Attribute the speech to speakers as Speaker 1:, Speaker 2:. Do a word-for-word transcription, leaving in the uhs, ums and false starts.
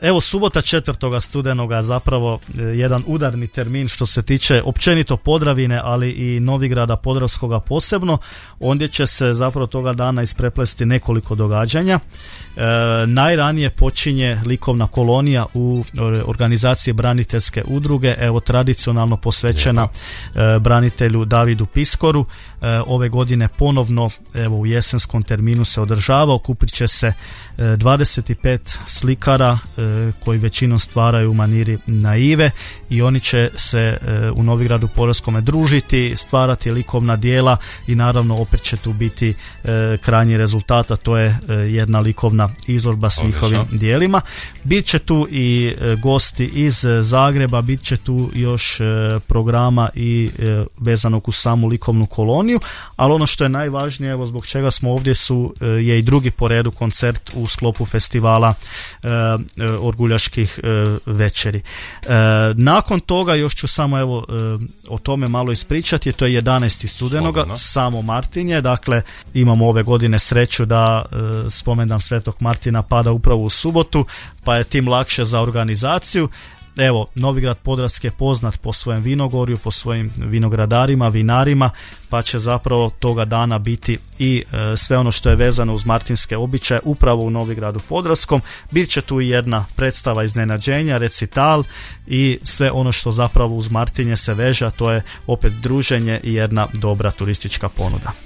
Speaker 1: Evo, subota četvrtoga studenoga zapravo jedan udarni termin što se tiče općenito Podravine, ali i Novigrada Podravskoga posebno. Ondje će se zapravo toga dana ispreplesti nekoliko događanja. E, najranije počinje likovna kolonija u organizaciji braniteljske udruge, evo tradicionalno posvećena e, branitelju Davidu Piskoru. E, ove godine ponovno evo u jesenskom terminu se održava. Okupit će se e, dvadeset pet slikara e, koji većinom stvaraju u maniri naive i oni će se e, u Novigradu Podravskome družiti, stvarati likovna djela i naravno opet će tu biti e, krajnji rezultat, a to je e, jedna likovna izložba s njihovim djelima. Bit će tu i e, gosti iz Zagreba, bit će tu još e, programa i e, vezanog uz samu likovnu koloniju, ali ono što je najvažnije, evo zbog čega smo ovdje, su e, je i drugi po redu koncert u sklopu festivala e, e, Orguljaških e, večeri. E, nakon toga još ću samo evo e, o tome malo ispričati, to je jedanaesti studenoga, Slobodno. Samo Martinje, dakle imamo ove godine sreću da e, spomendan Svetog Martina pada upravo u subotu, pa je tim lakše za organizaciju. Evo, Novigrad Podravski je poznat po svojem vinogorju, po svojim vinogradarima, vinarima, pa će zapravo toga dana biti i e, sve ono što je vezano uz martinske običaje upravo u Novigradu Podravskom. Bit će tu i jedna predstava iznenađenja, recital i sve ono što zapravo uz Martinje se veže, a to je opet druženje i jedna dobra turistička ponuda.